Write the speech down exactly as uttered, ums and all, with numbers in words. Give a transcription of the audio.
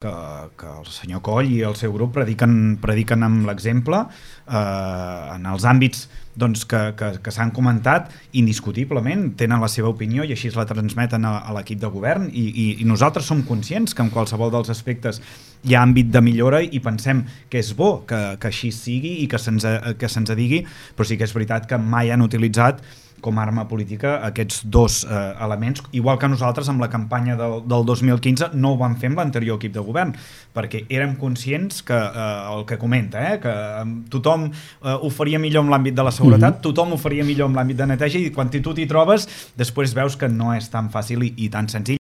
que, que el senyor Coll i el seu grup prediquen, prediquen amb l'exemple eh, en els àmbits doncs, que, que, que s'han comentat, indiscutiblement tenen la seva opinió i així la transmeten a, a l'equip de govern i, i, i nosaltres som conscients que en qualsevol dels aspectes hi ha àmbit de millora i pensem que és bo que, que així sigui i que se'ns que se'ns digui, però sí que és veritat que mai han utilitzat com a arma política aquests dos eh, elements, igual que nosaltres amb la campanya del, del dos mil quinze no ho vam fer amb l'anterior equip de govern, perquè érem conscients que eh, el que comenta, eh, que eh, tothom eh, ho faria millor en l'àmbit de la seguretat, mm-hmm. tothom ho faria millor en l'àmbit de neteja i quan tu t'hi trobes després veus que no és tan fàcil i, i tan senzill.